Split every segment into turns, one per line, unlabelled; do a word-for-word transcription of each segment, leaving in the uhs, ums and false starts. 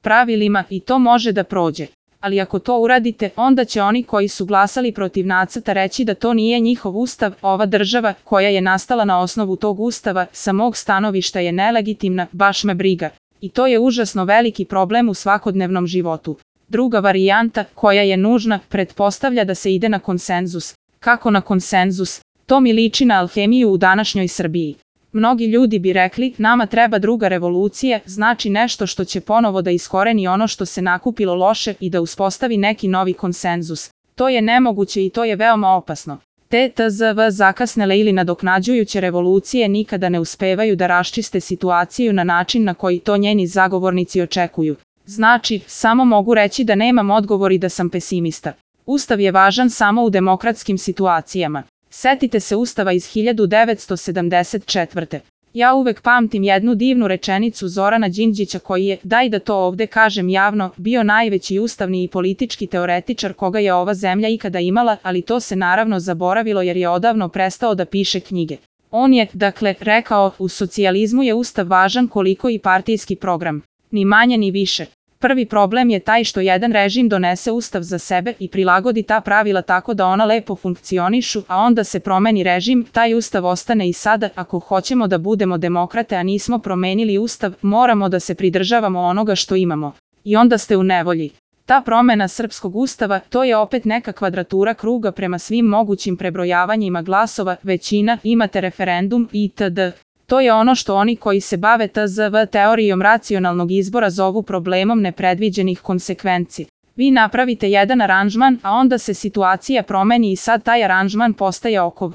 pravilima i to može da prođe. Ali ako to uradite, onda će oni koji su glasali protiv nacrta reći da to nije njihov ustav, ova država koja je nastala na osnovu tog ustava sa mog stanovišta je nelegitimna, baš me briga. I to je užasno veliki problem u svakodnevnom životu. Druga varijanta, koja je nužna, pretpostavlja da se ide na konsenzus. Kako na konsenzus? To mi liči na alhemiju u današnjoj Srbiji. Mnogi ljudi bi rekli, nama treba druga revolucija, znači nešto što će ponovo da iskoreni ono što se nakupilo loše i da uspostavi neki novi konsenzus. To je nemoguće i to je veoma opasno. Te tzv zakasnele ili nadoknađujuće revolucije nikada ne uspevaju da raščiste situaciju na način na koji to njeni zagovornici očekuju. Znači, samo mogu reći da nemam odgovor i da sam pesimista. Ustav je važan samo u demokratskim situacijama. Setite se Ustava iz hiljadu devetsto sedamdeset četvrte. Ja uvek pamtim jednu divnu rečenicu Zorana Đinđića koji je, daj da to ovde kažem javno, bio najveći ustavni i politički teoretičar koga je ova zemlja ikada imala, ali to se naravno zaboravilo jer je odavno prestao da piše knjige. On je, dakle, rekao, u socijalizmu je ustav važan koliko i partijski program. Ni manje ni više. Prvi problem je taj što jedan režim donese ustav za sebe i prilagodi ta pravila tako da ona lepo funkcionišu, a onda se promeni režim, taj ustav ostane i sada. Ako hoćemo da budemo demokrate, a nismo promenili ustav, moramo da se pridržavamo onoga što imamo. I onda ste u nevolji. Ta promena srpskog ustava, to je opet neka kvadratura kruga prema svim mogućim prebrojavanjima glasova, većina, imate referendum itd. To je ono što oni koji se bave tzv teorijom racionalnog izbora zovu problemom nepredviđenih konsekvenci. Vi napravite jedan aranžman, a onda se situacija promeni i sad taj aranžman postaje okov.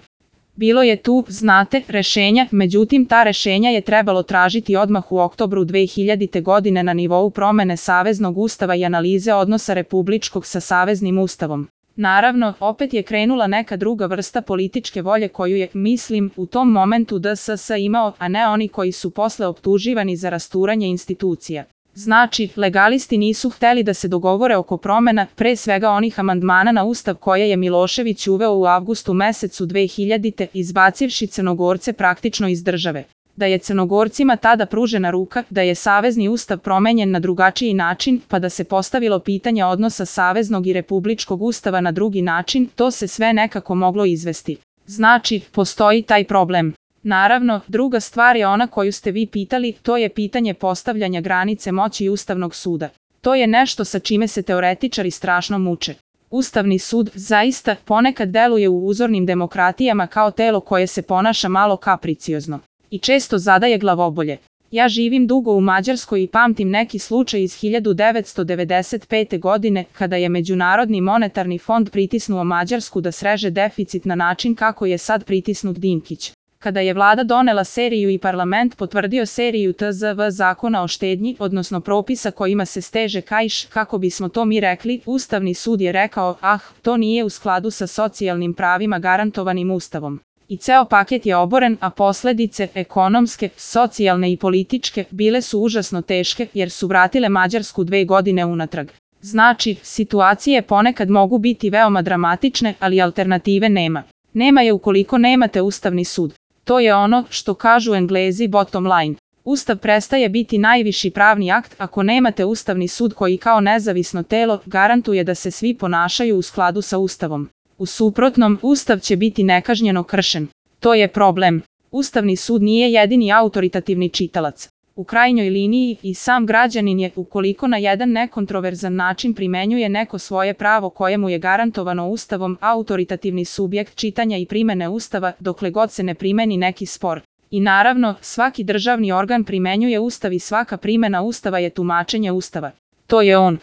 Bilo je tu, znate, rešenja, međutim ta rešenja je trebalo tražiti odmah u oktobru dve hiljadite. godine na nivou promene Saveznog ustava i analize odnosa republičkog sa Saveznim ustavom. Naravno, opet je krenula neka druga vrsta političke volje koju je, mislim, u tom momentu D S S imao, a ne oni koji su posle optuživani za rasturanje institucija. Znači, legalisti nisu hteli da se dogovore oko promena, pre svega onih amandmana na ustav koje je Milošević uveo u avgustu mesecu dve hiljadite. izbacivši Crnogorce praktično iz države. Da je Crnogorcima tada pružena ruka, da je Savezni ustav promenjen na drugačiji način, pa da se postavilo pitanje odnosa Saveznog i Republičkog ustava na drugi način, to se sve nekako moglo izvesti. Znači, postoji taj problem. Naravno, druga stvar je ona koju ste vi pitali, to je pitanje postavljanja granice moći Ustavnog suda. To je nešto sa čime se teoretičari strašno muče. Ustavni sud zaista ponekad deluje u uzornim demokratijama kao telo koje se ponaša malo kapriciozno. I često zadaje glavobolje. Ja živim dugo u Mađarskoj i pamtim neki slučaj iz hiljadu devetsto devedeset pete. godine, kada je Međunarodni monetarni fond pritisnuo Mađarsku da sreže deficit na način kako je sad pritisnut Dinkić. Kada je vlada donela seriju i parlament potvrdio seriju tzv zakona o štednji, odnosno propisa kojima se steže kaiš, kako bismo to mi rekli, Ustavni sud je rekao, ah, to nije u skladu sa socijalnim pravima garantovanim Ustavom. I ceo paket je oboren, a posledice, ekonomske, socijalne i političke, bile su užasno teške jer su vratile Mađarsku dve godine unatrag. Znači, situacije ponekad mogu biti veoma dramatične, ali alternative nema. Nema je ukoliko nemate Ustavni sud. To je ono što kažu Englezi bottom line. Ustav prestaje biti najviši pravni akt ako nemate Ustavni sud koji kao nezavisno telo garantuje da se svi ponašaju u skladu sa Ustavom. U suprotnom, Ustav će biti nekažnjeno kršen. To je problem. Ustavni sud nije jedini autoritativni čitalac. U krajnjoj liniji i sam građanin je, ukoliko na jedan nekontroverzan način primenjuje neko svoje pravo koje mu je garantovano Ustavom, autoritativni subjekt čitanja i primene Ustava dokle god se ne primeni neki spor. I naravno, svaki državni organ primenjuje Ustav i svaka primena Ustava je tumačenje Ustava. To je on.